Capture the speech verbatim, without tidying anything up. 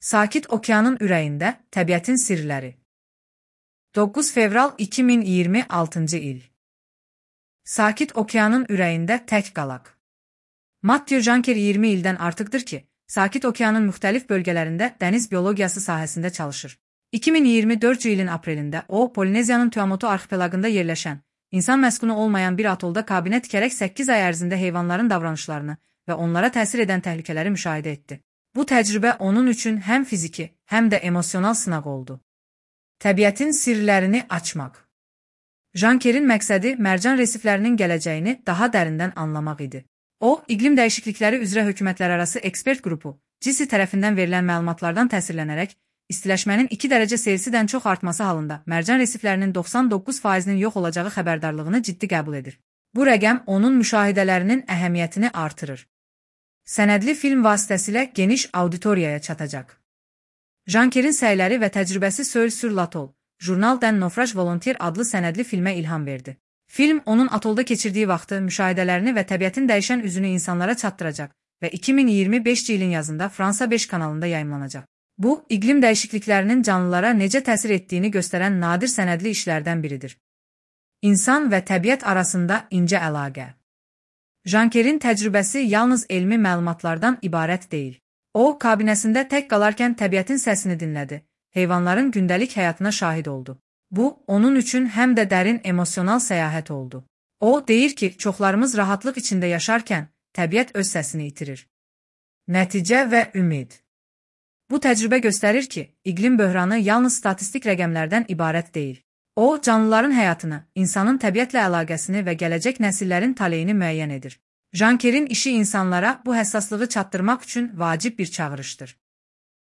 Sakit Okeanın ürəyində təbiətin sirləri. doqquz fevral iki min iyirmi altıncı il. Sakit Okeanın ürəyində tək qalaq. Matthew Janker iyirmi ildən artıqdır ki, Sakit Okeanın müxtəlif bölgələrində dəniz biologiyası sahəsində çalışır. iki min iyirmi dördüncü ilin aprelində o, Polineziyanın Tuamotu arxipelagında yerləşən, insan məskunu olmayan bir atolda kabinə tikərək səkkiz ay ərzində heyvanların davranışlarını və onlara təsir edən təhlükələri müşahidə etdi. Bu təcrübə onun üçün həm fiziki, həm də emosional sınaq oldu. Təbiətin sirlərini açmaq. Jankerin məqsədi mərcan resiflərinin gələcəyini daha dərindən anlamaq idi. O, iqlim dəyişiklikləri üzrə hökumətlərarası ekspert qrupu, C I S I tərəfindən verilən məlumatlardan təsirlənərək, istiləşmənin iki dərəcə Selsidən çox artması halında mərcan resiflərinin doxsan doqquz faizinin yox olacağı xəbərdarlığını ciddi qəbul edir. Bu rəqəm onun müşahidələrinin əhəmiyyətini artırır. Sənədli film vasitəsilə geniş auditoriyaya çatacaq. Jankerin səyləri və təcrübəsi Seul sur l'Atoll, Journal d'un Naufrage Volontaire adlı sənədli filmə ilham verdi. Film onun atolda keçirdiyi vaxtı, müşahidələrini və təbiətin dəyişən üzünü insanlara çatdıracaq və iki min iyirmi beşinci ilin yazında Fransa beş kanalında yayımlanacaq. Bu, iqlim dəyişikliklərinin canlılara necə təsir etdiyini göstərən nadir sənədli işlərdən biridir. İnsan və təbiət arasında incə əlaqə. Jankerin təcrübəsi yalnız elmi məlumatlardan ibarət deyil. O, kabinəsində tək qalarkən təbiətin səsini dinlədi, heyvanların gündəlik həyatına şahid oldu. Bu, onun üçün həm də dərin emosional səyahət oldu. O, deyir ki, çoxlarımız rahatlıq içində yaşarkən, təbiət öz səsini itirir. Nəticə və ümid. Bu təcrübə göstərir ki, iqlim böhranı yalnız statistik rəqəmlərdən ibarət deyil. O, canlıların həyatını, insanın təbiətlə əlaqəsini və gələcək nəsillərin taleyini müəyyən edir. Jankerin işi insanlara bu həssaslığı çatdırmaq üçün vacib bir çağırışdır.